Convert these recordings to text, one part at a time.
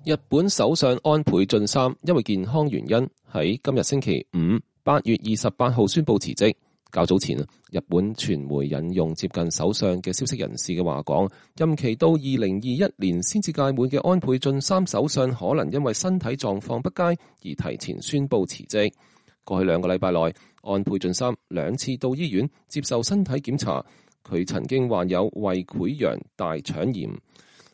日本首相安倍晉三因為健康原因喺今日星期五8月28號宣布辭職。較早前日本傳媒引用接近首相嘅消息人士嘅話講，任期到2021年先至屆滿嘅安倍晉三首相可能因為身體狀況不佳而提前宣布辭職。過去2個禮拜內，安倍晉三2次到醫院接受身體檢查，佢曾經患有胃潰瘍大腸炎。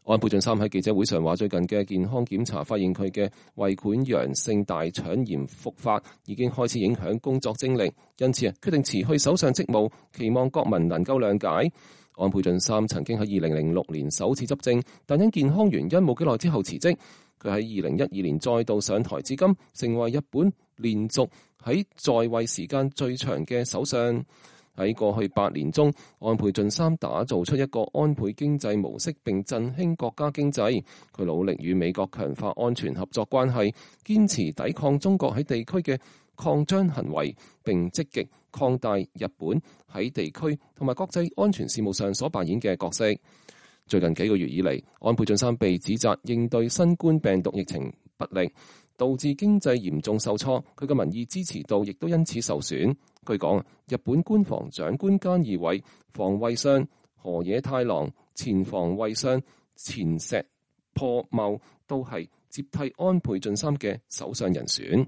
安倍晉三喺記者會上話，最近嘅健康檢查發現佢嘅胃潰瘍性大腸炎復發，已經開始影響工作精力，因此決定辭去首相職務，期望國民能夠諒解。安倍晉三曾經喺2006年首次執政，但因健康原因冇幾耐之後辭職。佢喺2012年再度上台至今，成為日本連續喺在位時間最長嘅首相。喺過去8年中，安倍晉三打造出一個安倍經濟模式，並振興國家經濟。佢努力與美國強化安全合作關係，堅持抵抗中國喺地區嘅擴張行為，並積極擴大日本喺地區同埋國際安全事務上所扮演嘅角色。最近幾個月以嚟，安倍晉三被指責應對新冠病毒疫情不力，導致經濟嚴重受挫，佢嘅民意支持度亦都因此受損。據講，日本官房長官菅義偉、防衛相河野太郎、前防衛相前石破茂都係接替安倍晉三嘅首相人選。